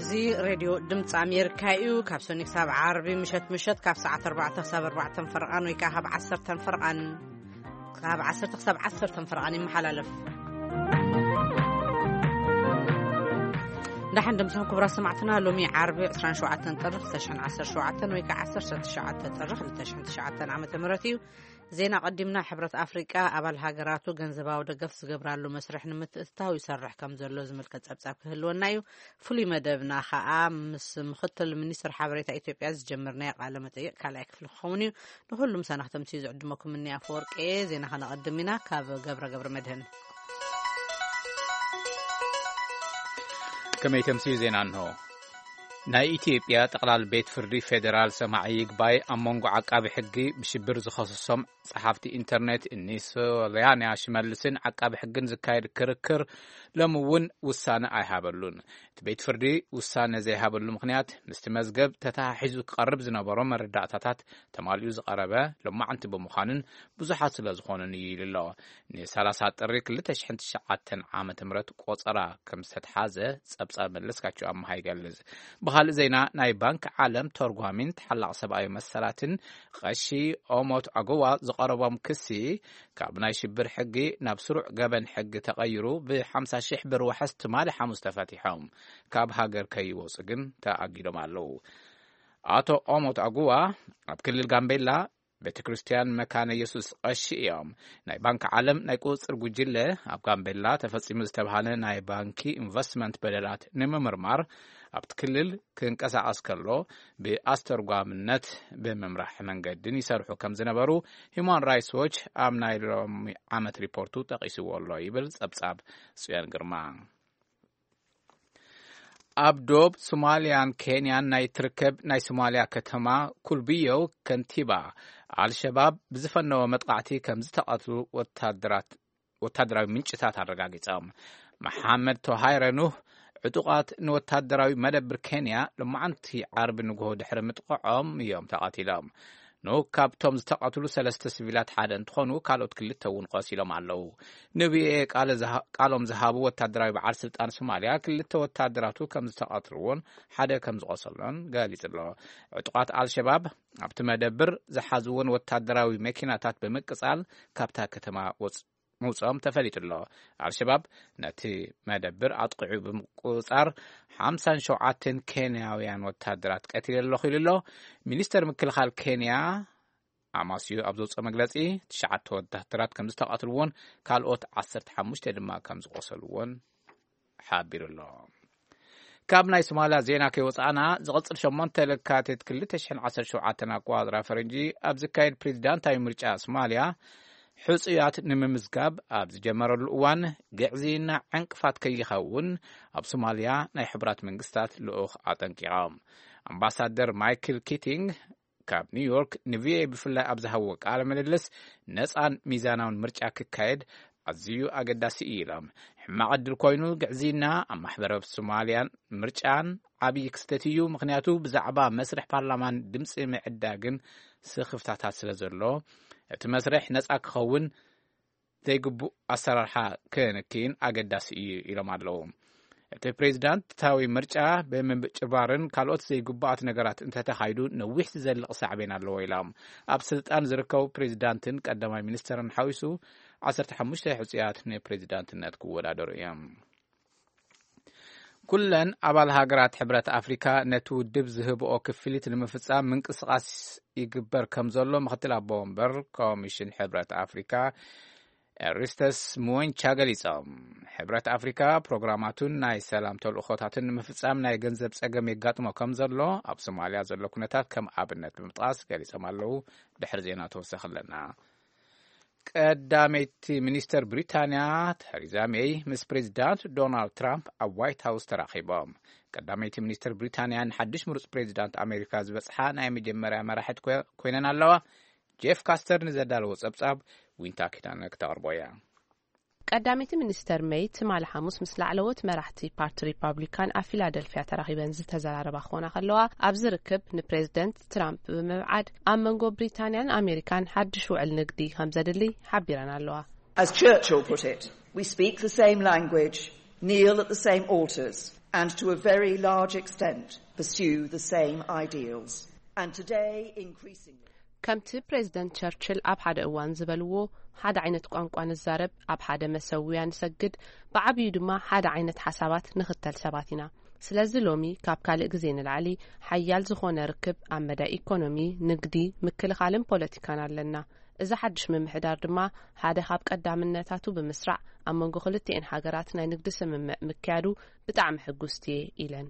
እዚ ሬድዮ ድምፂ ኣሜሪካ እዩ። ካብ ሰኒ ክሳብ ዓርቢ ምሸት ምሸት ካብ ሰዓት ኣርባዕተ ክሳብ ኣርባዕተን ፈርቓን ወይ ከዓ ካብ ዓሰርተን ፈርቓን፣ ካብ ዓሰርተ ክሳብ ዓሰርተን ፈርቓን ይመሓላለፍ። ደሓን ድምፅኹም ክቡራት ሰማዕትና። ሎሚ ዓርቢ ዕስራን ሸውዓተን ጥሪ ክልተ ሽሕን ዓሰርተ ሸውዓተን ወይ ከዓ ዓሰርተ ትሽዓተ ጥሪ ክልተ ሽሕን ትሽዓተን ዓመተ ምህረት እዩ። ዜና ቀዲምና። ሕብረት ኣፍሪቃ ኣባል ሃገራቱ ገንዘባዊ ደገፍ ዝገብራሉ መስርሕ ንምትእትታው ይሰርሕ ከም ዘሎ ዝምልከት ጸብጻብ ክህልወና እዩ። ፍሉይ መደብና ኸኣ ምስ ምኽትል ሚኒስትር ሓበሬታ ኢትዮጵያ ዝጀመርናዮ ቃለ መጠይቕ ካልኣይ ክፍሊ ክኸውን እዩ። ንኹሉም ሰናኽተምቲ ዝዕድመኩም እኒ ኣፈወርቂ። ዜና ከነቐድም ኢና ካብ ገብረ ገብረ መድህን። ከመይ ተምስዩ ዜና እንሆ። ናይ ኢትዮጵያ ጠቕላል ቤት ፍርዲ ፌዴራል ሰማዒ ይግባይ ኣብ መንጎ ዓቃቢ ሕጊ ብሽብር ዝኸሰሶም ጸሓፍቲ ኢንተርኔት እኒ ሶልያና ሽመልስን ዓቃቢ ሕግን ዝካየድ ክርክር ሎሚ እውን ውሳነ ኣይሃበሉን። እቲ ቤት ፍርዲ ውሳነ ዘይሃበሉ ምኽንያት ምስቲ መዝገብ ተተሓሒዙ ክቐርብ ዝነበሮ መረዳእታታት ተማሊኡ ዝቐረበ ሎማዕንቲ ብምዃኑን ብዙሓት ስለ ዝኾኑን እዩ ኢሉ ኣሎ። ንሰላሳ ጥሪ ክልተ ሽሕን ትሽዓተን ዓመተ ምህረት ቆጸራ ከም ዝተትሓዘ ጸብጻብ መለስካቸው ኣምሃ ይገልጽ። ብኻልእ ዜና፣ ናይ ባንክ ዓለም ተርጓሚን ተሓላቕ ሰብኣዊ መሰላትን ቐሺ ኦሞት ኣጎዋ ዝቐረቦም ክሲ ካብ ናይ ሽብር ሕጊ ናብ ስሩዕ ገበን ሕጊ ተቐይሩ ብ ሓምሳ ሽሕ ብር ዋሕስ ትማሊ ሓሙስ ተፈቲሖም ካብ ሃገር ከይወጹ ግን ተኣጊዶም ኣለዉ። ኣቶ ኦሞት ኣጉዋ ኣብ ክልል ጋምቤላ ቤተ ክርስቲያን መካነ የሱስ ቐሺ እዮም። ናይ ባንክ ዓለም ናይ ቁጽጽር ጉጅለ ኣብ ጋምቤላ ተፈጺሙ ዝተባህለ ናይ ባንኪ ኢንቨስትመንት በደላት ንምምርማር ኣብቲ ክልል ክንቀሳቐስ ከሎ ብኣስተርጓምነት ብምምራሕ መንገድን ይሰርሑ ከም ዝነበሩ ሂማን ራይትስ ዎች ኣብ ናይ ሎሚ ዓመት ሪፖርቱ ጠቒስዎ ኣሎ ይብል ጸብጻብ ጽዮን ግርማ። ኣብ ዶብ ሶማልያን ኬንያን ናይ ትርከብ ናይ ሶማልያ ከተማ ኩልብዮ ከንቲባ ኣልሸባብ ብዝፈነወ መጥቃዕቲ ከም ዝተቐትሉ ወታደራት፣ ወታደራዊ ምንጭታት ኣረጋጊጾም። መሓመድ ቶሃይረ ኑህ ዕጡቓት ንወታደራዊ መደብር ኬንያ ሎማዓንቲ ዓርቢ ንግሆ ድሕሪ ምጥቕዖም እዮም ተቐቲሎም። ኑህ ካብቶም ዝተቐትሉ ሰለስተ ሲቪላት ሓደ እንትኾኑ፣ ካልኦት ክልተ እውን ቆሲሎም ኣለዉ። ንቪኦኤ ቃለ ዝሃ-፣ ቃሎም ዝሃቡ ወታደራዊ በዓል ስልጣን ሶማልያ ክልተ ወታደራቱ ከም ዝተቐትልዎን ሓደ ከም ዝቆሰሎን ገሊጹ ኣሎ። ዕጡቓት ኣልሸባብ ኣብቲ መደብር ዝሓዝዎን ወታደራዊ መኪናታት ብምቅጻል ካብታ ከተማ ወጽ-፣ ምውጽኦም ተፈሊጡ ኣሎ። ኣልሸባብ ነቲ መደብር ኣጥቂዑ ብምቁጽጻር ሓምሳን ሸውዓተን ኬንያውያን ወታደራት ቀቲለ ኣለኹ ኢሉ ኣሎ። ሚኒስተር ምክልኻል ኬንያ ኣማስዩ ኣብ ዘውፅኦ መግለፂ፣ ትሽዓተ ወታደራት ከም ዝተቐትልዎን ካልኦት ዓሰርተ ሓሙሽተ ድማ ከም ዝቆሰልዎን ሓቢሩ ኣሎ። ካብ ናይ ሶማልያ ዜና ከይወፃእና፣ ዝቕፅል ሸሞንተ ለካቲት ክልተ ሽሕን ዓሰርተ ሸውዓተን ኣቆፃፅራ ፈረንጂ ኣብ ዝካየድ ፕሬዚዳንታዊ ምርጫ ሶማልያ ሕፁያት ንምምዝጋብ ኣብ ዝጀመረሉ እዋን፣ ግዕዝይና ዕንቅፋት ከይኸውን ኣብ ሶማልያ ናይ ሕቡራት መንግስታት ልኡኽ ኣጠንቂቖም። ኣምባሳደር ማይክል ኪቲንግ ካብ ኒውዮርክ ንቪኦኤ ብፍላይ ኣብ ዝሃብዎ ቃለ ምልልስ፣ ነጻን ሚዛናውን ምርጫ ክካየድ ኣዝዩ ኣገዳሲ እዩ ኢሎም። ሕማቕ ዕድል ኮይኑ ግዕዝይና ኣብ ማሕበረሰብ ሶማልያን ምርጫን ዓብዪ ክስተት እዩ፣ ምኽንያቱ ብዛዕባ መስርሕ ፓርላማን ድምፂ ምዕዳግን ስኽፍታታት ስለ ዘሎ፣ እቲ መስርሕ ነጻ ክኸውን ዘይግቡእ ኣሰራርሓ ክንክይን ኣገዳሲ እዩ ኢሎም ኣለዉ። እቲ ፕሬዚዳንታዊ ምርጫ ብምጭባርን ካልኦት ዘይግቡኣት ነገራት እንተተኻይዱ ነዊሕ ዝዘልቕ ሳዕቤን ኣለዎ ኢሎም። ኣብ ስልጣን ዝርከቡ ፕሬዚዳንትን ቀዳማይ ሚኒስተርን ሓዊሱ ዓሰርተ ሓሙሽተ ሕጹያት ንፕሬዚዳንትነት ክወዳደሩ እዮም። ኩለን ኣባል ሃገራት ሕብረት ኣፍሪካ ነቲ ውድብ ዝህብኦ ክፍሊት ንምፍጻም ምንቅስቓስ ይግበር ከም ዘሎ ምክትል ኣቦ ወንበር ኮሚሽን ሕብረት ኣፍሪካ ኤሪስተስ ሙወንቻ ገሊጾም። ሕብረት ኣፍሪካ ፕሮግራማቱን ናይ ሰላም ተልእኾታትን ንምፍጻም ናይ ገንዘብ ጸገም የጋጥሞ ከም ዘሎ ኣብ ሶማልያ ዘሎ ኩነታት ከም ኣብነት ብምጥቃስ ገሊጾም ኣለዉ። ድሕሪ ዜና ተወሰኺ ኣለና። ቀዳመይቲ ሚኒስተር ብሪታንያ ተሪዛ ሜይ ምስ ፕሬዚዳንት ዶናልድ ትራምፕ ኣብ ዋይት ሃውስ ተራኺቦም። ቀዳመይቲ ሚኒስተር ብሪታንያ ንሓድሽ ምሩጽ ፕሬዚዳንት ኣሜሪካ ዝበጽሓ ናይ መጀመርያ መራሒት ኮ-፣ ኮይነን ኣለዋ። ጄፍ ካስተር ንዘዳለዎ ጸብጻብ ዊንታ ኪዳነ ክተቕርቦ እያ። ቀዳመይቲ ሚኒስተር ሜይ ትማሊ ሓሙስ ምስ ላዕለዎት መራሕቲ ፓርቲ ሪፓብሊካን ኣብ ፊላደልፊያ ተራኺበን ዝተዘራረባ ክኾና ከለዋ፣ ኣብዚ ርክብ ንፕሬዚደንት ትራምፕ ብምብዓድ ኣብ መንጎ ብሪታንያን ኣሜሪካን ሓድሽ ውዕል ንግዲ ከም ዘድሊ ሓቢረን ኣለዋ። As Churchill put it, we speak the same language, kneel at the same altars. and to a very large extent pursue the same ideals. And today, increasingly, ከምቲ ፕሬዚደንት ቸርችል ኣብ ሓደ እዋን ዝበልዎ፣ ሓደ ዓይነት ቋንቋ ንዛረብ፣ ኣብ ሓደ መሰውያ ንሰግድ፣ ብዓብዩ ድማ ሓደ ዓይነት ሓሳባት ንኽተል ሰባት ኢና። ስለዚ ሎሚ ካብ ካልእ ግዜ ንላዕሊ ሓያል ዝኾነ ርክብ ኣብ መዳይ ኢኮኖሚ፣ ንግዲ፣ ምክልኻልን ፖለቲካን ኣለና። እዚ ሓድሽ ምምሕዳር ድማ ሓደ ካብ ቀዳምነታቱ ብምስራዕ ኣብ መንጎ ክልቲኤን ሃገራት ናይ ንግዲ ስምምዕ ምክያዱ ብጣዕሚ ሕጉስቲ እየ ኢለን።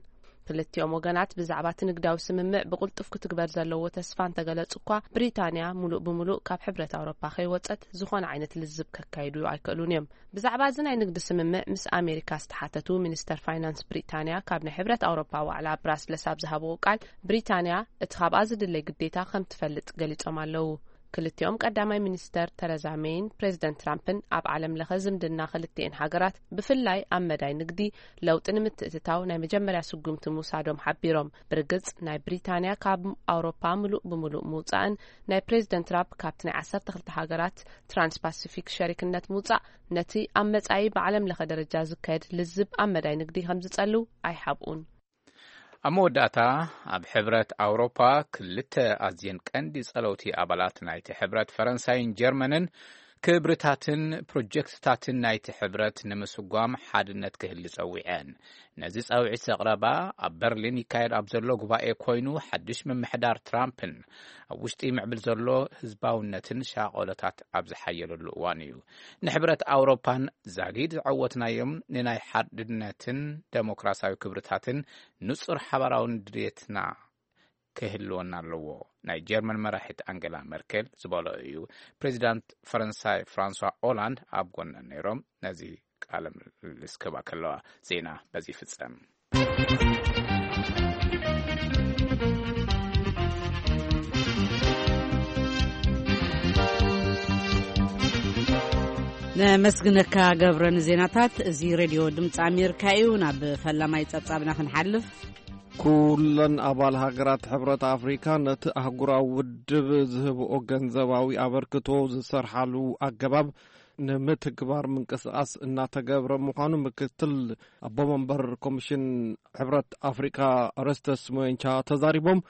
ክልቲኦም ወገናት ብዛዕባ እቲ ንግዳዊ ስምምዕ ብቕልጡፍ ክትግበር ዘለዎ ተስፋ እንተገለጹ እኳ፣ ብሪታንያ ሙሉእ ብሙሉእ ካብ ሕብረት ኣውሮፓ ከይወጸት ዝኾነ ዓይነት ልዝብ ከካይዱ ኣይክእሉን እዮም። ብዛዕባ እዚ ናይ ንግዲ ስምምዕ ምስ ኣሜሪካ ዝተሓተቱ ሚኒስተር ፋይናንስ ብሪታንያ ካብ ናይ ሕብረት ኣውሮፓ ዋዕላ ብራስለስ ኣብ ዝሃብዎ ቃል፣ ብሪታንያ እቲ ካብኣ ዝድለይ ግዴታ ከም ትፈልጥ ገሊጾም ኣለዉ። ክልቲኦም ቀዳማይ ሚኒስተር ተረዛ ሜይን ፕሬዚደንት ትራምፕን ኣብ ዓለም ለኸ ዝምድና ክልቲኤን ሃገራት ብፍላይ ኣብ መዳይ ንግዲ ለውጢ ንምትእትታው ናይ መጀመርያ ስጉምቲ ምውሳዶም ሓቢሮም። ብርግጽ ናይ ብሪታንያ ካብ ኣውሮፓ ምሉእ ብምሉእ ምውጻእን ናይ ፕሬዚደንት ትራምፕ ካብቲ ናይ ዓሰርተ ክልተ ሃገራት ትራንስፓሲፊክ ሸሪክነት ምውጻእ ነቲ ኣብ መጻኢ ብዓለም ለኸ ደረጃ ዝካየድ ልዝብ ኣብ መዳይ ንግዲ ከም ዝጸልው ኣይሓብኡን። ኣብ መወዳእታ፣ ኣብ ሕብረት ኣውሮፓ ክልተ ኣዝየን ቀንዲ ጸለውቲ ኣባላት ናይቲ ሕብረት፣ ፈረንሳይን ጀርመንን፣ ክብርታትን ፕሮጀክትታትን ናይቲ ሕብረት ንምስጓም ሓድነት ክህሊ ጸዊዐን። ነዚ ጻውዒት ዘቕረባ ኣብ በርሊን ይካየድ ኣብ ዘሎ ጉባኤ ኮይኑ፣ ሓድሽ ምምሕዳር ትራምፕን ኣብ ውሽጢ ይምዕብል ዘሎ ህዝባውነትን ሻቐሎታት ኣብ ዝሓየለሉ እዋን እዩ። ንሕብረት ኣውሮፓን ዛጊድ ዝዓወትናዮም ንናይ ሓድነትን ደሞክራሲያዊ ክብርታትን ንጹር ሓባራውን ድሌትና ክህልወና ኣለዎ። ናይ ጀርመን መራሒት ኣንገላ መርኬል ዝበሎ እዩ። ፕሬዚዳንት ፈረንሳይ ፍራንሷ ኦላንድ ኣብ ጎነን ነይሮም። ነዚ ቃለ ምልልስ ክህባ ከለዋ ዜና በዚ ይፍጸም። ነመስግነካ ገብረ ንዜናታት። እዚ ሬድዮ ድምፂ ኣሜሪካ እዩ። ናብ ፈላማይ ጸብጻብና ክንሓልፍ። ኩለን ኣባል ሃገራት ሕብረት ኣፍሪካ ነቲ ኣህጉራዊ ውድብ ዝህብኦ ገንዘባዊ ኣበርክቶ ዝሰርሓሉ ኣገባብ ንምትግባር ምንቅስቃስ እናተገብረ ምዃኑ ምክትል ኣቦ መንበር ኮሚሽን ሕብረት ኣፍሪካ ኦረስተስ ሞየንቻ ተዛሪቦም።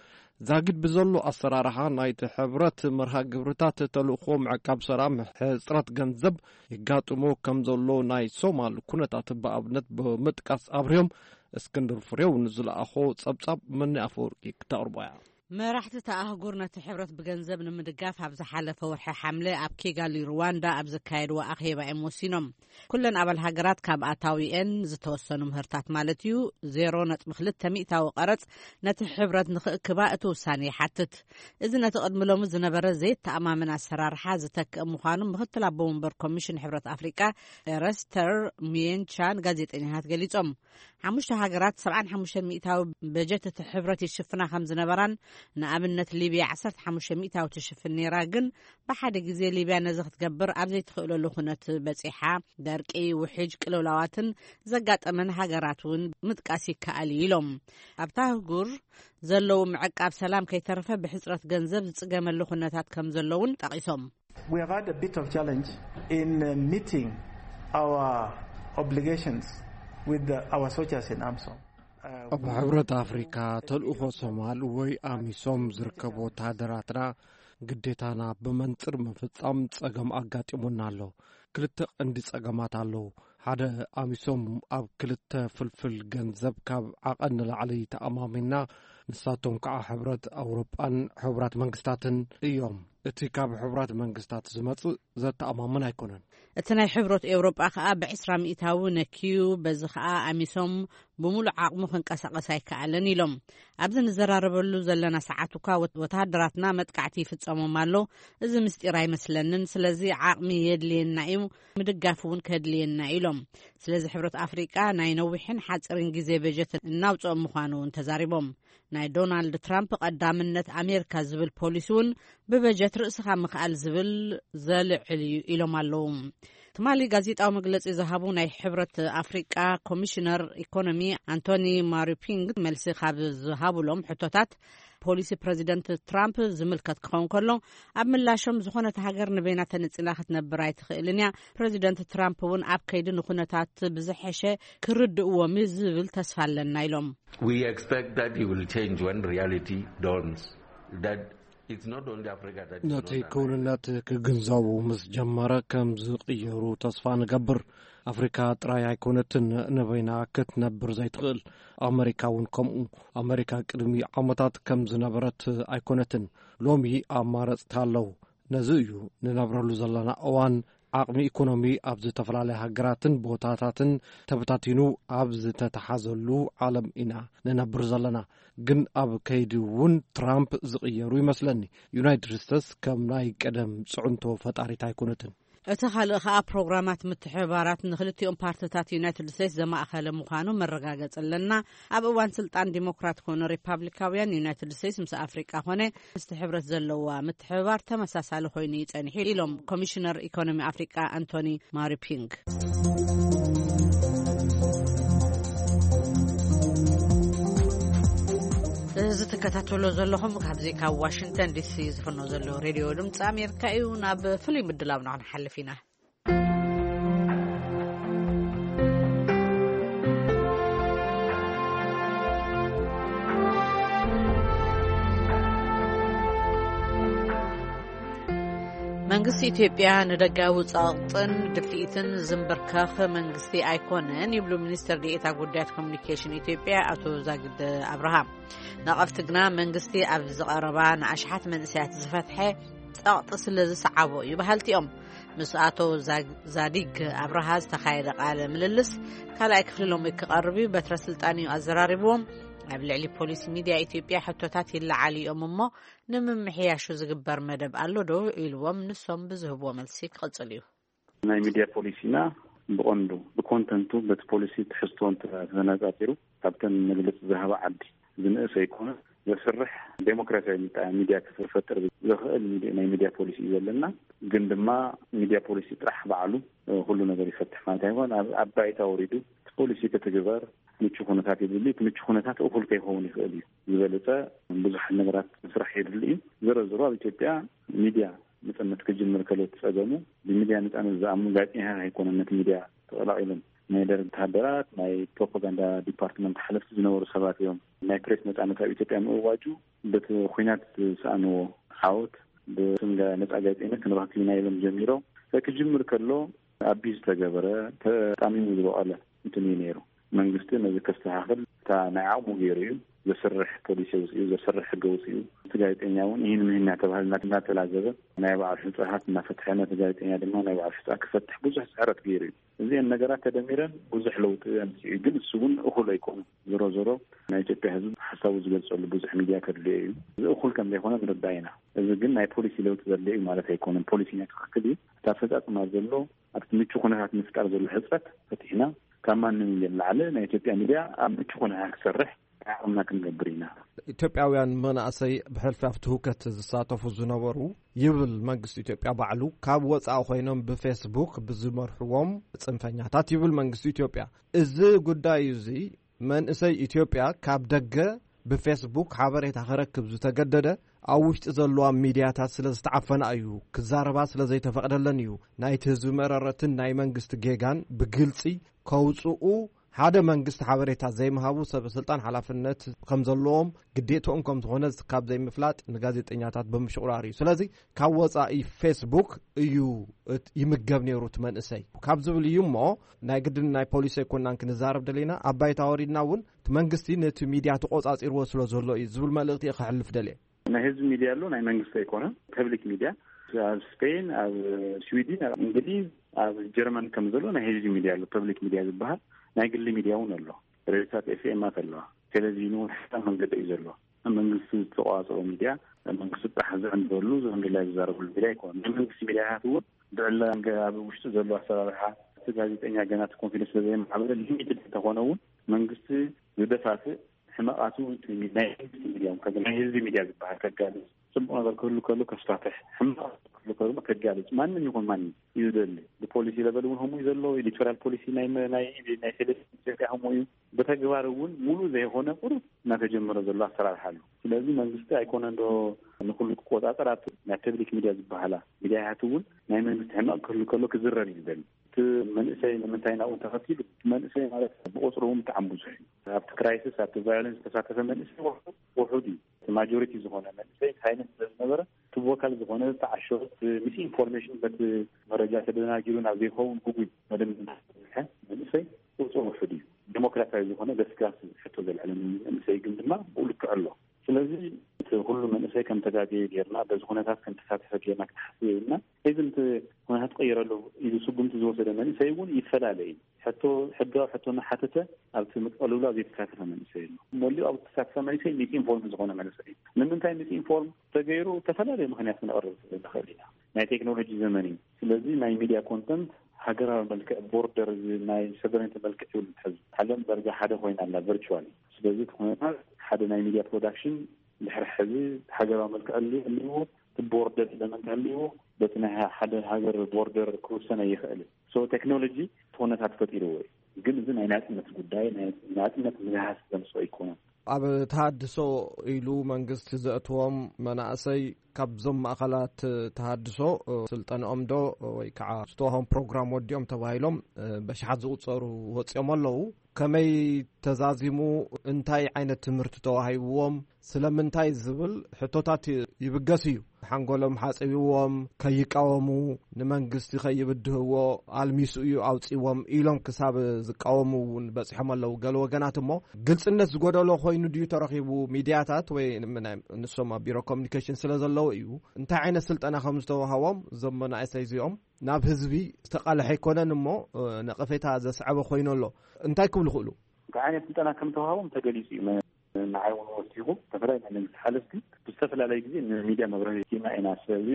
ዛጊድ ብዘሎ ኣሰራርሓ ናይቲ ሕብረት መርሃ ግብርታት ተልእኮ ምዕቃብ ሰላም፣ ሕፅረት ገንዘብ ይጋጥሞ ከም ዘሎ ናይ ሶማል ኩነታት ብኣብነት ብምጥቃስ ኣብርዮም። እስክንድር ፍሬው ንዝለኣኾ ጸብጻብ መኒ ኣፈወርቂ ክተቕርቦ እያ። መራሕቲ እታ ኣህጉር ነቲ ሕብረት ብገንዘብ ንምድጋፍ ኣብ ዝሓለፈ ወርሒ ሓምለ ኣብ ኪጋሊ ሩዋንዳ ኣብ ዘካየድዎ ኣኼባ እዮም ወሲኖም። ኩለን ኣባል ሃገራት ካብ ኣታዊኤን ዝተወሰኑ ምህርታት ማለት እዩ፣ ዜሮ ነጥቢ ክልተ ሚእታዊ ቀረጽ ነቲ ሕብረት ንኽእክባ እቲ ውሳኔ ይሓትት። እዚ ነቲ ቅድሚ ሎሚ ዝነበረ ዘይተኣማመን ኣሰራርሓ ዝተክእ ምዃኑ ምክትል ኣቦ ወንበር ኮሚሽን ሕብረት ኣፍሪቃ ኤረስተር ሚየንቻ ንጋዜጠኛታት ገሊጾም። ሓሙሽተ ሃገራት ሰብዓን ሓሙሽተን ሚእታዊ በጀት እቲ ሕብረት ይሽፍና ከም ዝነበራን፣ ንኣብነት ሊብያ ዓሰርተ ሓሙሽተ ሚእታዊ ትሽፍን ነይራ፣ ግን ብሓደ ግዜ ሊብያ ነዚ ክትገብር ኣብ ዘይትኽእለሉ ኩነት በጺሓ። ደርቂ፣ ውሕጅ፣ ቅልውላዋትን ዘጋጠመን ሃገራት እውን ምጥቃስ ይከኣል እዩ ኢሎም። ኣብታ ኣህጉር ዘለዉ ምዕቃብ ሰላም ከይተረፈ ብሕጽረት ገንዘብ ዝጽገመሉ ኩነታት ከም ዘለውን ጠቒሶም። We have had a bit of challenge in uh, meeting our obligations with the, our soldiers in AMISOM. Uh, ኣብ we- ሕብረት ኣፍሪካ ተልእኾ ሶማል ወይ ኣሚሶም ዝርከቡ ወተሃደራትና ግዴታና ብመንፅር ምፍፃም ፀገም ኣጋጢሙና ኣሎ። ክልተ ቀንዲ ፀገማት ኣለዉ። ሓደ፣ ኣሚሶም ኣብ ክልተ ፍልፍል ገንዘብ ካብ ዓቐን ንላዕሊ ተኣማሚና፣ ንሳቶም ከዓ ሕብረት ኣውሮጳን ሕቡራት መንግስታትን እዮም። እቲ ካብ ሕቡራት መንግስታት ዝመጽእ ዘተኣማምን ኣይኮነን። እቲ ናይ ሕብረት ኤውሮጳ ከኣ ብዕስራ ሚእታዊ ነክዩ፣ በዚ ከኣ ኣሚሶም ብምሉእ ዓቕሙ ክንቀሳቐስ ኣይከኣለን ኢሎም። ኣብዚ ንዘራረበሉ ዘለና ሰዓት እኳ ወት-፣ ወተሃደራትና መጥቃዕቲ ይፍጸሞም ኣሎ። እዚ ምስጢር ኣይመስለንን። ስለዚ ዓቕሚ የድልየና እዩ፣ ምድጋፍ እውን ከድልየና ኢሎም። ስለዚ ሕብረት ኣፍሪቃ ናይ ነዊሕን ሓጺርን ግዜ በጀት እናውጽኦም ምዃኑ እውን ተዛሪቦም። ናይ ዶናልድ ትራምፕ ቀዳምነት ኣሜሪካ ዝብል ፖሊሲ እውን ብበጀት ርእስኻ ምኽኣል ዝብል ዘልዕል እዩ ኢሎም ኣለዉ። ትማሊ ጋዜጣዊ መግለጺ ዝሃቡ ናይ ሕብረት ኣፍሪቃ ኮሚሽነር ኢኮኖሚ ኣንቶኒ ማሪፒንግ፣ መልሲ ካብ ዝሃቡሎም ሕቶታት፣ ፖሊሲ ፕረዚደንት ትራምፕ ዝምልከት ክኸውን ከሎ፣ ኣብ ምላሾም፣ ዝኾነት ሃገር ንበይና ተነጺላ ክትነብር ኣይትኽእልን እያ፣ ፕረዚደንት ትራምፕ እውን ኣብ ከይዲ ንኩነታት ብዝሐሸ ክርድእዎም እዩ ዝብል ተስፋ ኣለና ኢሎም። We expect that he will change when reality dawns. That it's not only Africa that is ነቲ not ክውንነት ክግንዘቡ ምስ ጀመረ ከም ዝቕየሩ ተስፋ ንገብር። ኣፍሪካ ጥራይ ኣይኮነትን ንበይና ክትነብር ዘይትኽእል፣ ኣመሪካ እውን ከምኡ። ኣመሪካ ቅድሚ ዓመታት ከም ዝነበረት ኣይኮነትን። ሎሚ ኣማረፅታ ኣለዉ። ነዚ እዩ ንነብረሉ ዘለና እዋን። ዓቕሚ ኢኮኖሚ ኣብ ዝተፈላለያ ሃገራትን ቦታታትን ተበታቲኑ ኣብ ዝተተሓዘሉ ዓለም ኢና ንነብር ዘለና። ግን ኣብ ከይዲ እውን ትራምፕ ዝቕየሩ ይመስለኒ። ዩናይትድ ስቴትስ ከም ናይ ቀደም ፅዕንቶ ፈጣሪት ኣይኮነትን። እቲ ካልእ ከኣ፣ ፕሮግራማት ምትሕብባራት ንክልቲኦም ፓርትታት ዩናይትድ ስቴትስ ዘማእኸለ ምዃኑ መረጋገጺ ኣለና። ኣብ እዋን ስልጣን ዲሞክራት ኮነ ሪፓብሊካውያን፣ ዩናይትድ ስቴትስ ምስ ኣፍሪቃ ኮነ ምስቲ ሕብረት ዘለዋ ምትሕብባር ተመሳሳሊ ኮይኑ እዩ ጸኒሑ ኢሎም ኮሚሽነር ኢኮኖሚ ኣፍሪቃ ኣንቶኒ ማሪፒንግ። እዚ ትከታተሎ ዘለኹም ካብዚ ካብ ዋሽንግተን ዲሲ ዝፍኖ ዘሎ ሬድዮ ድምፂ ኣሜሪካ እዩ። ናብ ፍሉይ ምድላውና ክንሓልፍ ኢና። መንግስቲ ኢትዮጵያ ንደጋዊ ጸቕጥን ድፍኢትን ዝምብርከኽ መንግስቲ ኣይኮነን ይብሉ ሚኒስትር ዴኤታ ጉዳያት ኮሙኒኬሽን ኢትዮጵያ ኣቶ ዛግድ ኣብርሃ። ነቐፍቲ ግና መንግስቲ ኣብ ዝቐረባ ንኣሽሓት መንእሰያት ዝፈትሐ ጸቕጢ ስለ ዝሰዓቦ እዩ በሃልቲ እዮም። ምስ ኣቶ ዛግ-፣ ዛዲግ ኣብርሃ ዝተኻየደ ቃለ ምልልስ ካልኣይ ክፍሊ ሎሚ ክቐርብ እዩ። በትረ ስልጣን እዩ ኣዘራሪብዎም። ኣብ ልዕሊ ፖሊሲ ሚድያ ኢትዮጵያ ሕቶታት ይለዓሉ እዮም እሞ ንምምሕያሹ ዝግበር መደብ ኣሎ ዶ ኢልዎም፣ ንሶም ብዝህብዎ መልሲ ክቕጽል እዩ። ናይ ሚድያ ፖሊሲና ብቐንዱ ብኮንተንቱ በቲ ፖሊሲ ትሕዝቶ እንተ-፣ ተነጻጺሩ ካብተን መግለጺ ዝሃባ ዓዲ ዝንእስ ኣይኮነ። ዘስርሕ ዴሞክራሲያዊ ሚጣ-፣ ሚድያ ክፈጥር ዘኽእል ሚዲ-፣ ናይ ሚድያ ፖሊሲ እዩ ዘለና። ግን ድማ ሚድያ ፖሊሲ ጥራሕ ባዕሉ፣ እ፣ ኩሉ ነገር ይፈትሕ ማለት ኣይኮን። ኣብ፣ ኣብ ባይታ ወሪዱ እቲ ፖሊሲ ክትግበር ምቹ ኩነታት የድሊ። እቲ ምቹ ኩነታት እኹል ከይኸውን ይኽእል እዩ። ዝበለጸ ብዙሓት ነገራት ምስራሕ የድሊ እዩ። ዝሮ ዝሮ ኣብ ኢትዮጵያ ሚድያ ነጻነት ክጅምር ከሎ እቲ ጸገሙ ብሚድያ ነጻነት ዝኣምኑ ጋዜጠኛታት ኣይኮነን ነቲ ሚድያ ተቐላቒሎም። ናይ ደርግ ወተሃደራት፣ ናይ ፕሮፓጋንዳ ዲፓርትመንት ሓለፍቲ ዝነበሩ ሰባት እዮም። ናይ ፕሬስ ነጻነት ኣብ ኢትዮጵያ ምእዋጁ በቲ ኲናት ዝሰኣንዎ ዓወት ብስም ጋ-፣ ነጻ ጋዜጠኝነት ክንረክብ ኢና ኢሎም ጀሚሮም። ክጅምር ከሎ ኣቢዝ ዝተገበረ፣ ተጣሚሙ ዝበቐለ እንትን እዩ ነይሩ። መንግስቲ ነዚ ከስተኻኽል እታ ናይ ዓቕሙ ገይሩ እዩ ዘስርሕ ፖሊሲ ኣውፂኡ፣ ዘስርሕ ሕጊ ኣውፂኡ። እቲ ጋዜጠኛ እውን ይህን ምህን እናተባህለ እናተላዘበ ናይ ባዕሉ ሕፃናት እናፈትሐ ነቲ ጋዜጠኛ ድማ ናይ ባዕሉ ሕፃ ክፈትሕ ብዙሕ ፅዕረት ገይሩ እዩ። እዚአን ነገራት ተደሚረን ብዙሕ ለውጢ ኣምፅኡ እዩ። ግን እሱ እውን እኹል ኣይኮኑ። ዞሮ ዞሮ ናይ ኢትዮጵያ ህዝቢ ሓሳቡ ዝገልፀሉ ብዙሕ ሚድያ ከድልዮ እዩ። እዚ እኹል ከም ዘይኮነ ንርዳእ ኢና። እዚ ግን ናይ ፖሊሲ ለውጢ ዘድልዮ እዩ ማለት ኣይኮነን። ፖሊሲና ትኽክል እዩ። እቲ ኣፈፃፅማ ዘሎ ኣብቲ ምቹ ኩነታት ምፍጣር ዘሎ ሕፅረት ፈቲሕና ካብ ማንም ንላዕሊ ናይ ኢትዮጵያ ሚድያ ኣብ ምቹ ኩነታት ክሰርሕ ዓቕምና ክንገብር ኢና። ኢትዮጵያውያን መናእሰይ ብሕልፊ ኣብቲ ህውከት ዝሳተፉ ዝነበሩ ይብል መንግስቲ ኢትዮጵያ ባዕሉ፣ ካብ ወፃኢ ኮይኖም ብፌስቡክ ብዝመርሕዎም ፅንፈኛታት ይብል መንግስቲ ኢትዮጵያ። እዚ ጉዳይ እዚ መንእሰይ ኢትዮጵያ ካብ ደገ ብፌስቡክ ሓበሬታ ክረክብ ዝተገደደ ኣብ ውሽጢ ዘለዋ ሚድያታት ስለ ዝተዓፈና እዩ፣ ክዛረባ ስለ ዘይተፈቕደለን እዩ፣ ናይቲ ህዝቢ መረረትን ናይ መንግስቲ ጌጋን ብግልፂ ከውፅኡ ሓደ መንግስቲ ሓበሬታ ዘይምሃቡ ሰበ ስልጣን ሓላፍነት ከም ዘለዎም ግዴትኦም ከም ዝኾነ ካብ ዘይምፍላጥ ንጋዜጠኛታት ብምሽቑራር እዩ። ስለዚ ካብ ወፃኢ ፌስቡክ እዩ እት-፣ ይምገብ ነይሩ እቲ መንእሰይ ካብ ዝብል እዩ እሞ ናይ ግድን ናይ ፖሊሲ ኣይኮናን ክንዛረብ ደሊና። ኣብ ባይታ ወሪድና እውን እቲ መንግስቲ ነቲ ሚድያ ተቆፃፂርዎ ስለ ዘሎ እዩ ዝብል መልእኽቲ እየ ከሕልፍ ደልየ። ናይ ህዝቢ ሚድያ ኣሎ፣ ናይ መንግስቲ ኣይኮነን። ፐብሊክ ሚድያ ኣብ ስፔን፣ ኣብ ስዊድን፣ ኣብ እንግሊዝ፣ ኣብ ጀርመን ከም ዘሎ ናይ ህዝቢ ሚድያ ኣሎ። ፐብሊክ ሚድያ ዝበሃል ናይ ግሊ ሚድያ እውን ኣሎ። ሬድዮታት ኤፍ ኤማት ኣለዋ። ቴሌቪዥን እውን ሕሳብ መንገዲ እዩ ዘሎ። መንግስቲ ዝተቋፀሮ ሚድያ መንግስቲ ጥራሕ ዘዕንበሉ ዘንድላይ ዝዛረብሉ ሚድያ ኣይኮነን። ናይ መንግስቲ ሚድያታት እውን ብዕላ ገ-፣ ኣብ ውሽጢ ዘሎ ኣሰራርሓ እቲ ጋዜጠኛ ገና እቲ ኮንፊደንስ ስለ ዘይመዓበለ ሊሚትድ እንተኾነ እውን መንግስቲ ዝደፋፍእ ሕመቓቱ ናይ መንግስቲ ሚድያ ከ-፣ ናይ ህዝቢ ሚድያ ዝበሃል ከጋልጽ፣ ጽቡቕ ነገር ክህሉ ከሎ ከስፋፍሕ፣ ሕማቕ ክህሉ ከሎ ከጋልጽ ማንም ይኹን ማንም እዩ ዝደሊ። ፖሊሲ ለበል እውን ከምኡ እዩ ዘሎ። ኤዲቶሪያል ፖሊሲ ናይ መ- ናይ ናይ ቴሌቪዥን ኢትዮጵያ ከምኡ እዩ። ብተግባር እውን ሙሉ ዘይኮነ ቁሩብ እናተጀመረ ዘሎ ኣሰራርሓ ኣሎ። ስለዚ መንግስቲ ኣይኮነ እንዶ ንኩሉ ክቆፃፀር ኣብቲ ናይ ፐብሊክ ሚድያ ዝበሃላ ሚድያታት እውን ናይ መንግስቲ ሕመቕ ክህሉ ከሎ ክዝረብ እዩ ዝደሊ። እቲ መንእሰይ ንምንታይ ናብኡ ተኸቲሉ? እቲ መንእሰይ ማለት ብቁፅሩ እውን ብጣዕሚ ብዙሕ እዩ። ኣብቲ ክራይሲስ ኣብቲ ቫዮለንስ ዝተሳተፈ መንእሰይ ውሑድ ውሑድ እዩ። እቲ ማጆሪቲ ዝኾነ መንእሰይ ሳይለንት ስለዝነበረ እቲ ቮካል ዝኾነ ተዓሾ፣ እቲ ሚስ ኢንፎርሜሽን በቲ መረጃ ተደናጊሩ ናብ ዘይኸውን ጉጉይ መደምደምታ ዝበፅሐ መንእሰይ ቁፅሩ ውሑድ እዩ። ዴሞክራሲያዊ ዝኾነ ገስጋስ ሕቶ ዘልዕለ መንእሰይ ግን ድማ ብኡ ልክዕ ኣሎ። ስለዚ እቲ ኩሉ መንእሰይ ከም ተጋገየ ጌርና በዚ ኩነታት ከም ተሳተፈ ጌርና ክትሓስብ የብልና። እዚ እቲ ኩነታት ቀይረሉ ኢሉ ስጉምቲ ዝወሰደ መንእሰይ እውን ይፈላለ እዩ። ሕቶ ሕጋዊ ሕቶ እናሓተተ ኣብቲ ምቅልሉ ኣብ ዘይተሳተፈ መንእሰይ ኣሎ። መሊኡ ኣብ ተሳተፈ መንእሰይ ሚስ ኢንፎርም ዝኾነ መንእሰይ እዩ። ንምንታይ ሚስ ኢንፎርም ተገይሩ? ዝተፈላለዩ ምክንያት ክነቕርብ ንኽእል ኢና። ናይ ቴክኖሎጂ ዘመን እዩ። ስለዚ ናይ ሚድያ ኮንተንት ሃገራዊ መልክዕ፣ ቦርደር፣ ናይ ሰቨረንቲ መልክዕ ይብሉ ሕዚ ዓለም ደረጃ ሓደ ኮይና ኣላ ቨርቹዋል። ስለዚ እቲ ኩነታት ሓደ ናይ ሚድያ ፕሮዳክሽን ድሕሪ ሕዚ ሃገራዊ መልክዕ ህልዎ፣ እቲ ቦርደር ኤለመንት ህልዎ፣ በቲ ናይ ሓደ ሃገር ቦርደር ክውሰን ኣይኽእል። ሶ ቴክኖሎጂ እቲ ኩነታት ፈጢርዎ እዩ። ግን እዚ ናይ ናጽነት ጉዳይ፣ ናይ ናጽነት ምህሃስ ዘምጽኦ ኣይኮነን። ኣብ ተሃድሶ ኢሉ መንግስቲ ዘእትዎም መናእሰይ ካብዞም ማእኸላት ተሃድሶ ስልጠንኦም ዶ ወይ ከዓ ዝተዋህቦም ፕሮግራም ወዲኦም ተባሂሎም በሽሓት ዝቑጸሩ ወፂኦም ኣለዉ። ከመይ ተዛዚሙ፣ እንታይ ዓይነት ትምህርቲ ተዋሂብዎም፣ ስለምንታይ ዝብል ሕቶታት ይብገስ እዩ። ሓንጎሎም ሓፂብዎም፣ ከይቃወሙ፣ ንመንግስቲ ከይብድህዎ ኣልሚሱ እዩ ኣውፂዎም ኢሎም ክሳብ ዝቃወሙ እውን በፂሖም ኣለዉ። ገለ ወገናት እሞ ግልፅነት ዝጎደሎ ኮይኑ ድዩ ተረኺቡ? ሚድያታት ወይ ምን-፣ ንሶም ኣብ ቢሮ ኮሚኒኬሽን ስለ ዘለዉ እዩ። እንታይ ዓይነት ስልጠና ከም ዝተዋሃቦም እዞም መናእሰይ እዚኦም ናብ ህዝቢ ዝተቃልሐ ኣይኮነን እሞ ነቐፌታ ዘስዓበ ኮይኑ ኣሎ። እንታይ ክብሉ ይኽእሉ? እንታይ ዓይነት ስልጠና ከም ዝተዋሃቦም ተገሊፁ እዩ። ንዓይ እውን ወሲኹ ዝተፈላለዩ ናይ መንግስቲ ሓለፍቲ ብዝተፈላለየ ግዜ ንሚድያ መብርሂ ሂብና ኢና። ስለዚ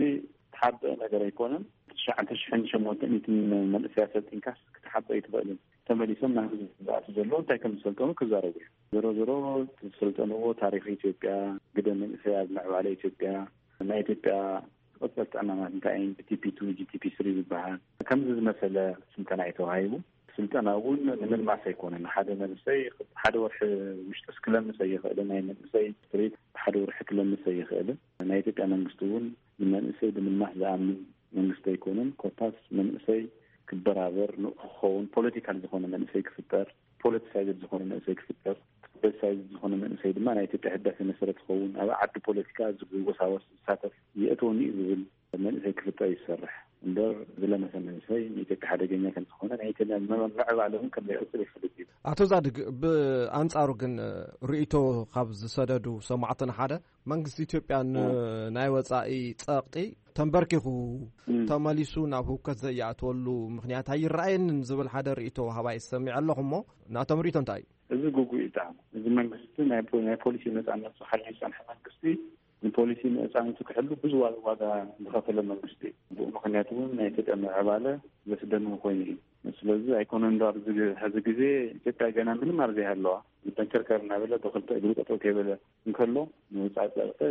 ተሓበአ ነገር ኣይኮነን። ትሽዓተ ሽሕን ሸሞንተ ሚእትን መንእሰያት ሰልጢንካስ ክትሓበ ኣይትኽእልን። ተመሊሶም ናብ ህዝቢ ዝኣቱ ዘለዉ እንታይ ከም ዝሰልጠኑ ክዛረቡ እዮም። ዞሮ ዞሮ እቲ ዝሰልጠንዎ ታሪኽ ኢትዮጵያ፣ ግደ መንእሰይ ኣብ ምዕባለ ኢትዮጵያ፣ ናይ ኢትዮጵያ ቀፀልቲ ዕማማት እንታይ እዮም፣ ጂ ቲ ፒ ቱ፣ ጂ ቲ ፒ ስሪ ዝበሃል ከምዚ ዝመሰለ ስልጠና እዩ ተዋሂቡ። ስልጠና እውን ንምልማስ ኣይኮነን። ሓደ መንእሰይ ሓደ ወርሒ ውሽጥስ ክለምስ ኣይኽእልን። ናይ መንእሰይ ስትሪት ሓደ ወርሒ ክለምስ ኣይኽእልን። ናይ ኢትዮጵያ መንግስቲ እውን ንመንእሰይ ብምልማስ ዝኣምን መንግስቲ ኣይኮነን። ኮታስ መንእሰይ ክበራበር፣ ንቑሕ ክኸውን፣ ፖለቲካል ዝኾነ መንእሰይ ክፍጠር፣ ፖለቲሳይዝድ ዝኾነ መንእሰይ ክፍጠር፣ ፖለቲሳይዝድ ዝኾነ መንእሰይ ድማ ናይ ኢትዮጵያ ህዳሴ መሰረት ክኸውን፣ ኣብ ዓዲ ፖለቲካ ዝወሳወስ ዝሳተፍ የእትወኒ እዩ ዝብል መንእሰይ ክፍጠር ይሰርሕ እምበር ዝለመሰ መንእሰይ ንኢትዮጵያ ሓደገኛ ከም ዝኾነ ናይ ኢትዮጵያ ምዕባለ እውን ከም ዘይቕፅል ይፈልጥ እዩ። ኣቶ ዛድግ፣ ብኣንጻሩ ግን ርእይቶ ካብ ዝሰደዱ ሰማዕትና ሓደ መንግስቲ ኢትዮጵያ ን-፣ ናይ ወጻኢ ጸቕጢ ተንበርኪኹ እም። ተመሊሱ ናብ ህውከት ዘየኣትወሉ ምኽንያት ኣይረኣየንን ዝብል ሓደ ርእይቶ ሃባይ ሰሚዐ ኣለኹ እሞ ናቶም ርእይቶ እንታይ እዩ? እዚ ግጉእ እዩ ብጣዕሚ። እዚ መንግስቲ ናይ ፖ-፣ ናይ ፖሊሲ ነጻነቱ ሓልዩ ዝጸንሐ መንግስቲ ንፖሊሲ ነጻነቱ ክሕሉ ብዙ ዋ-፣ ዋጋ ዝኸፈለ መንግስቲ እዩ። ብኡ ምኽንያት እውን ናይ ኢትዮጵያ ምዕባለ ዘስደምም ኮይኑ እዩ። ስለዚ ኣይኮነን ዶ ኣብዚ ግ-፣ ሕዚ ግዜ ኢትዮጵያ ገና ምንም ኣብ ዘይሃለዋ፣ በንቸርከር እናበለ ብክልተ እግሩ ጠጠው ከይበለ እንከሎ፣ ንወጻኢ ጸቕጢ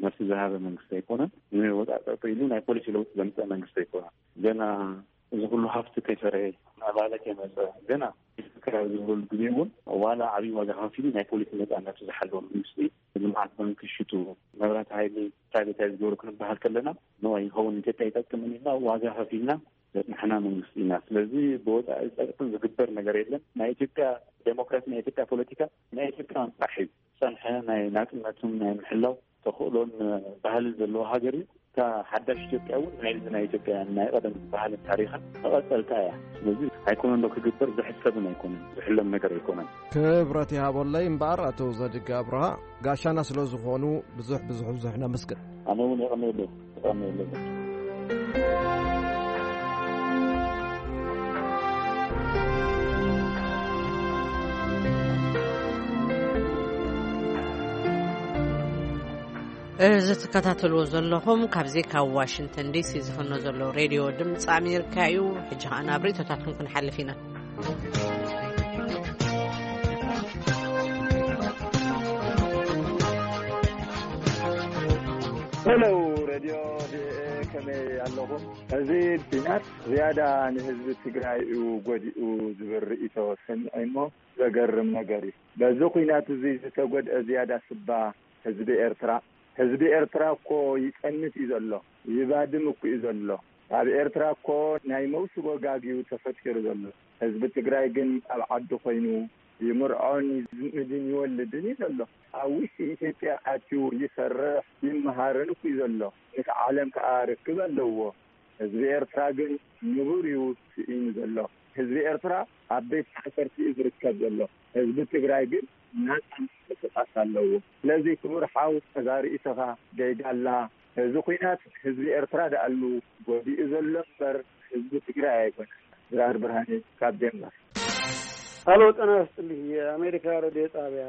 መልሲ ዝሃበ መንግስቲ ኣይኮነን። ንወጻኢ ጸቕጢ ኢሉ ናይ ፖሊሲ ለውጢ ዘምጸ መንግስቲ ኣይኮነን። ገና እዚ ኩሉ ሃፍቲ ከይፈረየ፣ ምዕባለ ከይመጸ፣ ገና ክራር ዝበሉ ግዜ እውን ዋላ ዓብዪ ዋጋ ከፊሉ ናይ ፖሊሲ ነጻነቱ ዝሓለወ መንግስቲ፣ ልምዓት ባንክ ሽጡ፣ መብራት ሓይሊ ፕራይቬታይዝ ገበሩ ክንበሃል ከለና፣ ንዋይ ይኸውን ኢትዮጵያ ይጠቅምን ኢልና ዋጋ ከፊልና ዘጽናሕና መንግስቲ ኢና። ስለዚ ብወጻኢ ጸቅጥን ዝግበር ነገር የለን። ናይ ኢትዮጵያ ዴሞክራሲ፣ ናይ ኢትዮጵያ ፖለቲካ፣ ናይ ኢትዮጵያ ጥራሕ እዩ። ዝጸንሐ ናይ ናጽነቱን ናይ ምሕላው ተኽእሎን ባህልን ዘለዎ ሃገር እዩ። እታ ሓዳሽ ኢትዮጵያ እውን ናይዚ ናይ ኢትዮጵያ ናይ ቀደም ባህልን ታሪኽን መቐጸልታ እያ። ስለዚ ኣይኮነን ዶ ክግበር፣ ዝሕሰብን ኣይኮነን፣ ዝሕለም ነገር ኣይኮነን። ክብረት ይሃበለይ እምበኣር ኣቶ ዘድግ ኣብርሃ ጋሻና ስለ ዝኾኑ ብዙሕ ብዙሕ ብዙሕ ነመስግን። ኣነ እውን የቐንየለይ፣ የቐንየለይ። እዚ ትከታተልዎ ዘለኹም ካብዚ ካብ ዋሽንግተን ዲሲ ዝፍኖ ዘሎ ሬድዮ ድምፂ ኣሜሪካ እዩ። ሕጂ ኸዓ ናብ ርእይቶታትኩም ክንሓልፍ ኢና። ሄሎ ሬድዮ ቪኦኤ፣ ከመይ ኣለኹም። እዚ ኲናት ዝያዳ ንህዝቢ ትግራይ እዩ ጎዲኡ ዝብል ርእይቶ ሰሚዐ እሞ ዘገርም ነገር እዩ። በዚ ኲናት እዚ ዝተጎድአ ዝያዳ ስባ ህዝቢ ኤርትራ። ህዝቢ ኤርትራ እኮ ይጸንት እዩ ዘሎ፣ ይባድም እኮ እዩ ዘሎ። ኣብ ኤርትራ እኮ ናይ መውስቦ ጋግ እዩ ተፈጢሩ ዘሎ። ህዝቢ ትግራይ ግን ኣብ ዓዱ ኮይኑ ይምርዖን ይዝምድን ይወልድን እዩ ዘሎ። ኣብ ውሽጢ ኢትዮጵያ ኣትዩ ይሰርሕ ይመሃርን እኮ እዩ ዘሎ። ምስ ዓለም ከዓ ርክብ ኣለዎ። ህዝቢ ኤርትራ ግን ንቡር እዩ ስኢኑ ዘሎ። ህዝቢ ኤርትራ ኣብ ቤት ማእሰርቲ እዩ ዝርከብ ዘሎ። ህዝቢ ትግራይ ግን ናጻ ምንቅስቃስ ኣለዎ። ስለዚ ክቡር ሓው፣ እዛ ርእይቶኻ ጌጋ ኣላ። እዚ ኲናት ህዝቢ ኤርትራ ደኣሉ ጎዲኡ ዘሎ እምበር ህዝቢ ትግራይ ኣይኮነን። ድራር ብርሃኔ ካብ ዴንማርክ። ሃሎ፣ ጤና ይስጥልኝ። የአሜሪካ ሬዲዮ ጣቢያ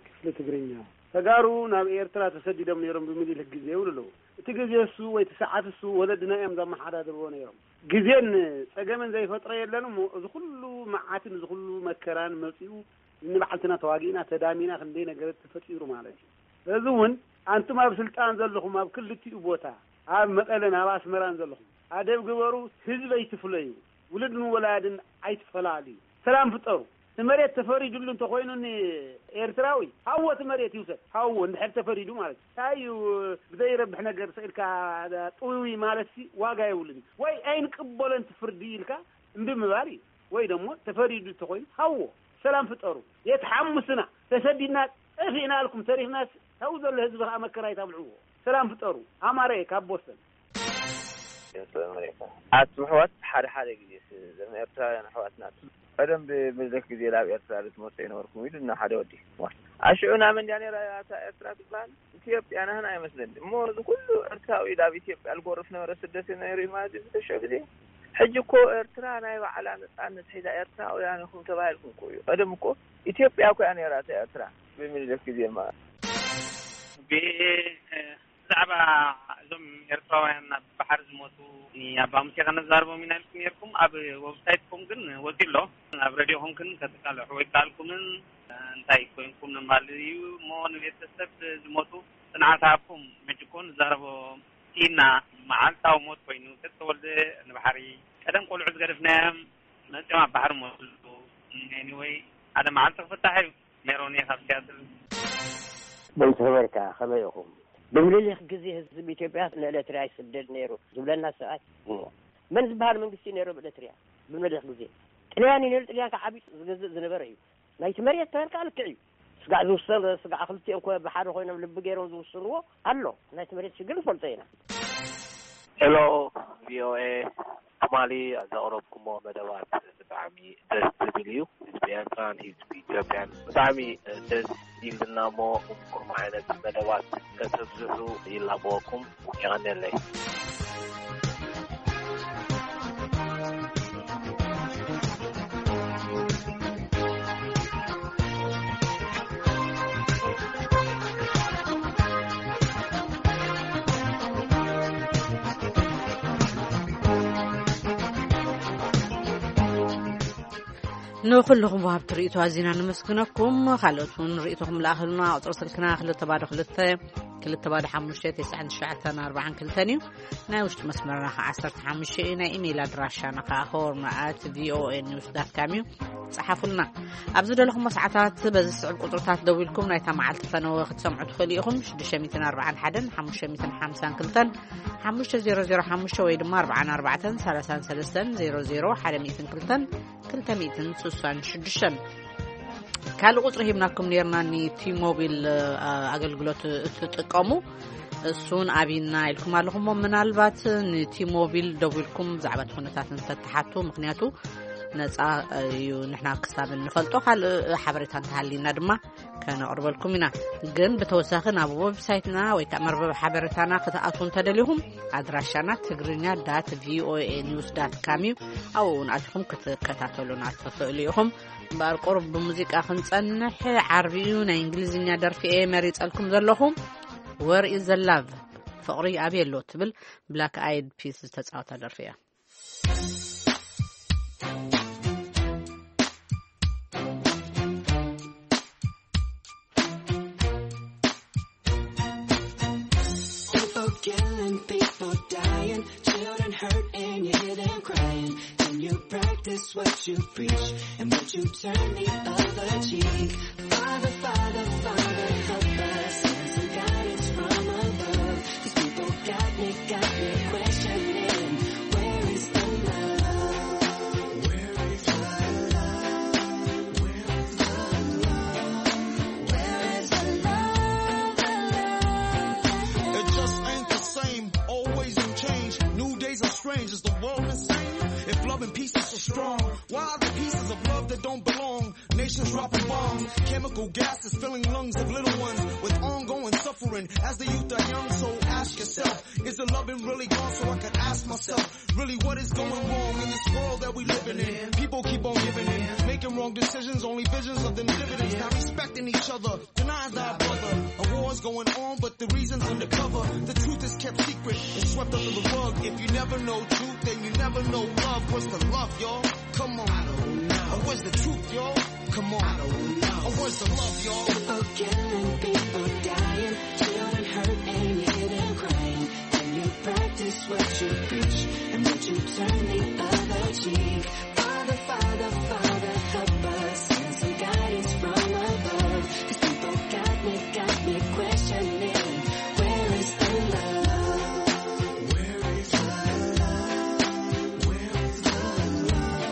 ክፍሊ ትግርኛ። ተጋሩ ናብ ኤርትራ ተሰዲዶም ነይሮም ብምኒልክ ግዜ ይብሉ ኣለዉ። እቲ ግዜ እሱ ወይ እቲ ሰዓት እሱ ወለድና እዮም ዘመሓዳድርዎ ነይሮም። ግዜን ጸገምን ዘይፈጥሮ የለን እሞ፣ እዚ ኩሉ መዓትን እዚ ኩሉ መከራን መጺኡ፣ ንባዕልትና ተዋጊእና ተዳሚና ክንደይ ነገራት ተፈጢሩ ማለት እዩ። እዚ እውን ኣንቱም ኣብ ስልጣን ዘለኹም ኣብ ክልቲኡ ቦታ፣ ኣብ መቐለን ኣብ ኣስመራን ዘለኹም፣ ኣደብ ግበሩ። ህዝቢ ኣይትፍለዩ፣ ውሉድን ወላድን ኣይትፈላልዩ። ሰላም ፍጠሩ። እቲ መሬት ተፈሪዱሉ እንተኾይኑ ንኤርትራዊ፣ ሃዎ እቲ መሬት ይውሰድ፣ ሃዎ እንድሕር ተፈሪዱ ማለት እዩ። እንታይ እዩ ብዘይረብሕ ነገር ስኢልካ ጥውይ ማለት ሲ ዋጋ የብሉን። ወይ ኣይንቅበሎን እቲ ፍርዲ ኢልካ እምቢ ምባል እዩ። ወይ ደሞ ተፈሪዱ እንተኾይኑ ሃዎ፣ ሰላም ፍጠሩ። የት ሓሙስና ተሰዲድና ጠፊእና ኣልኩም ተሪፍናስ፣ ካብኡ ዘሎ ህዝቢ ከዓ መከራ ይታብልዕዎ። ሰላም ፍጠሩ። ኣማረ ካብ ቦስተን። ኣቱም ኣሕዋት፣ ሓደ ሓደ ግዜ እዞም ኤርትራውያን ኣሕዋትና ቀደም ብምልክ ግዜ ናብ ኤርትራ ዝመፁ ይነበርኩም ኢሉ እና ሓደ ወዲ ኣሽዑ ናመ እንዲያ ነራ እታ ኤርትራ ትበሃል ኢትዮጵያ ናህና ኣይመስለኒ እሞ፣ እዚ ኩሉ ኤርትራዊ ናብ ኢትዮጵያ ዝጎርፍ ነበረ፣ ስደት ነይሩ እዩ ማለት እዩ ዝተሸ ግዜ። ሕጂ እኮ ኤርትራ ናይ ባዕላ ነፃነት ሒዛ ኤርትራውያን ኢኹም ተባሂልኩም እኮ እዩ። ቀደም እኮ ኢትዮጵያ እኮ እያ ነይራ እታ ኤርትራ ብምኒልክ ግዜ ማለት። ብዛዕባ እዞም ኤርትራውያን ኣብ ባሕሪ ዝሞቱ ኣባ ሙሴ ከነዛርቦም ኢና ኢልኩም ነርኩም። ኣብ ወብሳይትኩም ግን ወፂ ኣሎ፣ ኣብ ረድዮኹም ግን ከተቃልሑ ኣይከኣልኩምን። እንታይ ኮይንኩም ንምባል እዩ እሞ፣ ንቤተሰብ ዝሞቱ ፅንዓት ሃብኩም። ሕጂ እኮ ንዛረቦ ኢና። መዓልታዊ ሞት ኮይኑ፣ ተተወልደ ንባሕሪ። ቀደም ቆልዑ ዝገደፍናዮም መፂኦም ኣብ ባሕሪ ሞትሉ። ኤኒወይ፣ ሓደ መዓልቲ ክፍታሕ እዩ። ሜሮን እየ ካብ ሲያትል። በይተበርካ ከመይ ኢኹም? ብምኒልክ ግዜ ህዝቢ ኢትዮጵያ ንኤርትራ ይስደድ ነይሩ ዝብለና ሰብኣይ እሞ፣ መን ዝበሃል መንግስቲ ነይሩ ኣብ ኤርትራ ብምኒልክ ግዜ? ጥልያን እዩ ነይሩ። ጥልያን ከዓ ዓብዩ ዝገዝእ ዝነበረ እዩ። ናይቲ መሬት ተበልካ ልክዕ እዩ። ስጋዕ ዝውሰን ስጋዕ ክልቲኦም ኮ ብሓደ ኮይኖም ልቢ ገይሮም ዝውስንዎ ኣሎ። ናይቲ መሬት ሽግር ንፈልጦ ኢና። ሄሎ ቪኦኤ፣ ትማሊ ዘቕረብኩሞ መደባት ብጣዕሚ ደስ ዝብል እዩ። ህዝቢ ኤርትራን ህዝቢ ኢትዮጵያን ብጣዕሚ ደስ ኢልና እሞ፣ እምኩም ዓይነት መደባት ከተብዝሑ ይላበወኩም። የቐንየለይ። ንኹልኹም ወሃብቲ ርእይቶ ኣዚና ነመስግነኩም። ካልኦት እውን ርእይቶኹም ለኣኽሉና። ቁፅሪ ስልክና ክልተ ባዶ ክልተ፣ ክልተ ባዶ ሓሙሽተ፣ ተስዓን ትሽዓተን ኣርባዓን ክልተን እዩ። ናይ ውሽጢ መስመርና ከዓ ዓሰርተ ሓሙሽተ እዩ። ናይ ኢሜይል ኣድራሻና ከዓ ሆርን ኣት ቪኦኤ ኒውስ ዳት ካም እዩ። ጸሓፉልና። ኣብ ዝደለኹሞ ሰዓታት በዚ ዝስዕብ ቁጽርታት ደዊልኩም ናይታ መዓልቲ ፈነወ ክትሰምዑ ትኽእሉ ኢኹም። ሽዱሽተ ሚእትን ኣርባዓን ሓደን ሓሙሽተ ሚእትን ሓምሳን ክልተን ሓሙሽተ ዜሮ ዜሮ ሓሙሽተ ወይ ድማ ኣርባዓን ኣርባዕተን ሰላሳን ሰለስተን ዜሮ ዜሮ ሓደ ሚእትን ክልተን ክልተ ሚእትን ስሳን ሽዱሽተን። ካልእ ቁጽሪ ሂብናኩም ኔርና፣ ንቲሞቢል ኣገልግሎት እትጥቀሙ እሱን ኣብይና ኢልኩም ኣለኹም እሞ፣ ምናልባት ንቲሞቢል ደዊልኩም ብዛዕባ እቲ ኩነታት እንተትሓቱ፣ ምክንያቱ ነጻ እዩ፣ ንሕና ክሳብ እንፈልጦ ካልእ ሓበሬታ እንተሃልይና ድማ ከነቕርበልኩም ኢና። ግን ብተወሳኺ ናብ ዌብሳይትና ወይ ከዓ መርበብ ሓበሬታና ክትኣትዉ እንተደሊኹም፣ ኣድራሻና ትግርኛ ዳት ቪኦኤ ኒውስ ዳት ካም እዩ። ኣብኡ እውን ኣቲኹም ክትከታተሉና ትኽእሉ ኢኹም። እምበኣር ቁሩብ ብሙዚቃ ክንጸንሕ፣ ዓርቢ እዩ፣ ናይ እንግሊዝኛ ደርፊ እየ መሪጸልኩም ዘለኹ። Where is the love? ፍቕሪ ኣበይ ኣሎ ትብል ብላክ ኣይድ ፒስ ዝተጻወታ ደርፊ እያ። People killing, people dying, children This what you preach, and would you turn the other cheek? Father, Father, Father, help us. Send some guidance from above. These people got me, got me questioning. Where is the love? Where is the love? Where is the love? Where is the love? The love, the love, the love? It just ain't the same. Always in change. New days are strange. Is the world insane? If love and peace is so strong, why are the pieces of love that don't belong? Nations dropping bombs, chemical gases filling lungs of little ones with ongoing suffering. As the youth are young, so ask yourself, is the loving really gone? So I could ask myself, really, what is going wrong in this world that we living in? People keep on giving in, making wrong decisions, only visions of them dividends, not respecting each other. Deny thy brother. A war's going on, but the reason's undercover. The truth is kept secret and swept under the rug. If you never know truth, then you never know love. Where's the love, y'all? Come on. I don't know. Or where's the truth, y'all? Come on. I don't know. Or where's the love, y'all? People killing, people dying, children hurt and hidden crying. Can you practice what you preach? And would you turn the other cheek? Father, Father, Father, help us. Send some guidance from above. These people got me, got me questioning. Where is the love? Where is the love? Where is the love?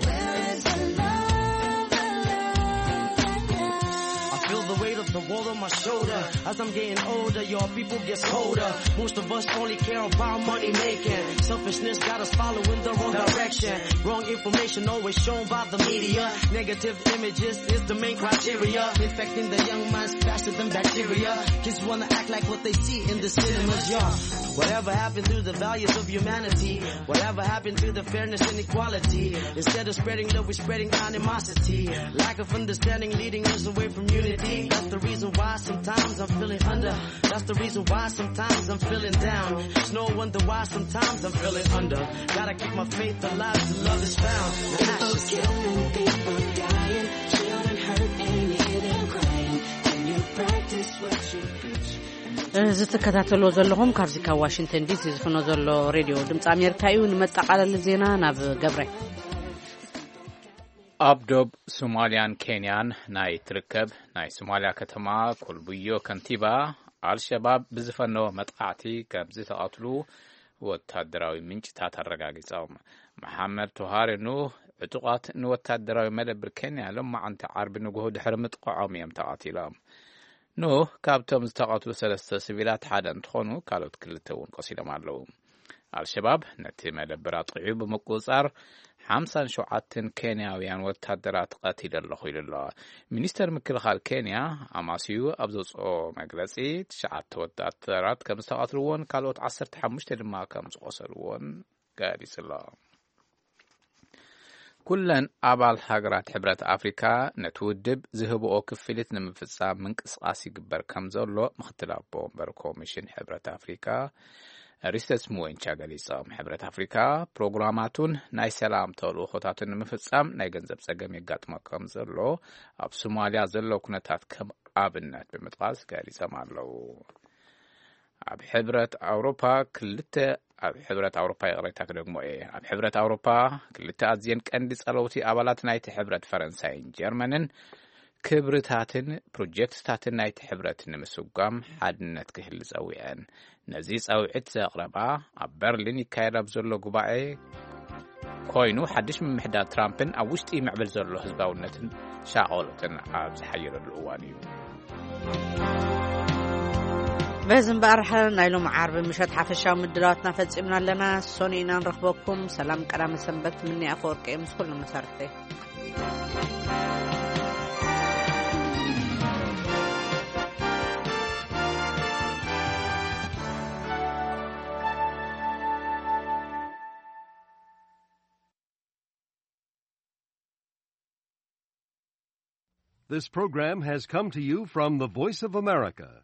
Where is the love? The love, the love. I feel the weight of the world on my shoulder. As I'm getting older, your people gets colder. Most of us only care about money making. Selfishness got us following the wrong direction. Wrong information always shown by the media. Negative images is the main criteria. Infecting the young minds faster than bacteria. Kids wanna act like what they see in the cinemas, yeah. Whatever happened to the values of humanity? Whatever happened to the fairness and equality? Instead of spreading love, we're spreading animosity. Lack of understanding leading us away from unity. That's the reason why sometimes I'm feeling under. That's the reason why sometimes I'm feeling down. It's no wonder why sometimes I'm feeling under. Gotta keep my faith alive till love is found. Now ask yourself. People killing, people dying, children hurt and hidden crying. Can you practice what you preach? እዚ ትከታተልዎ ዘለኹም ካብዚ ካብ ዋሽንግተን ዲሲ ዝፍኖ ዘሎ ሬድዮ ድምፂ ኣሜሪካ እዩ። ንመጠቓለሊ ዜና ናብ ገብረ። ኣብ ዶብ ሶማልያን ኬንያን ናይ ትርከብ ናይ ሶማልያ ከተማ ኮልቡዮ ከንቲባ፣ ኣልሸባብ ብዝፈነዎ መጥቃዕቲ ከም ዝተቐትሉ ወታደራዊ ምንጭታት ኣረጋጊጾም። መሓመድ ቶሃሪ ኑህ፣ ዕጡቓት ንወታደራዊ መደብር ኬንያ ሎማዓንቲ ዓርቢ ንግሆ ድሕሪ ምጥቃዖም እዮም ተቐቲሎም። ኑህ ካብቶም ዝተቐትሉ ሰለስተ ሲቪላት ሓደ እንትኾኑ፣ ካልኦት ክልተ እውን ቆሲሎም ኣለዉ። ኣልሸባብ ነቲ መደብር ኣጥቂዑ ብምቁጽጻር ሓምሳን ሸውዓተን ኬንያውያን ወታደራት ቀቲለ ኣለኹ ኢሉ ኣሎ። ሚኒስተር ምክልኻል ኬንያ ኣማሲዩ ኣብ ዘውፅኦ መግለፂ፣ ትሽዓተ ወታደራት ከም ዝተቐትልዎን ካልኦት ዓሰርተ ሓሙሽተ ድማ ከም ዝቆሰልዎን ገሊጹ ኣሎ። ኩለን ኣባል ሃገራት ሕብረት ኣፍሪካ ነቲ ውድብ ዝህብኦ ክፍሊት ንምፍጻም ምንቅስቓስ ይግበር ከም ዘሎ ምክትል ኣቦ ወንበር ኮሚሽን ሕብረት ኣፍሪካ ሪሰስ ሙወንቻ ገሊጾም። ሕብረት ኣፍሪካ ፕሮግራማቱን ናይ ሰላም ተልእኾታቱን ንምፍጻም ናይ ገንዘብ ጸገም የጋጥሞ ከም ዘሎ ኣብ ሶማልያ ዘሎ ኩነታት ከም ኣብነት ብምጥቃስ ገሊጾም ኣለዉ። ኣብ ሕብረት ኣውሮፓ ክልተ ኣብ ሕብረት ኣውሮፓ፣ ይቕሬታ ክደግሞ እየ። ኣብ ሕብረት ኣውሮፓ ክልተ ኣዝየን ቀንዲ ጸለውቲ ኣባላት ናይቲ ሕብረት፣ ፈረንሳይን ጀርመንን፣ ክብርታትን ፕሮጀክትታትን ናይቲ ሕብረት ንምስጓም ሓድነት ክህሊ ጸዊዐን። ነዚ ጸውዒት ዘቕረባ ኣብ በርሊን ይካየድ ኣብ ዘሎ ጉባኤ ኮይኑ፣ ሓድሽ ምምሕዳር ትራምፕን ኣብ ውሽጢ ይምዕብል ዘሎ ህዝባውነትን ሻቐሎትን ኣብ ዝሓየለሉ እዋን እዩ። በዚ እምበኣር፣ ናይ ሎም ዓርቢ ምሸት ሓፈሻዊ ምድላዋትና ፈጺምና ኣለና። ሰኑይ ኢና ንረኽበኩም። ሰላም ቀዳመ ሰንበት ምኒ ኣፈወርቂ ምስ ኩሉ መሳርሕተይ። This program has come to you from the Voice of America,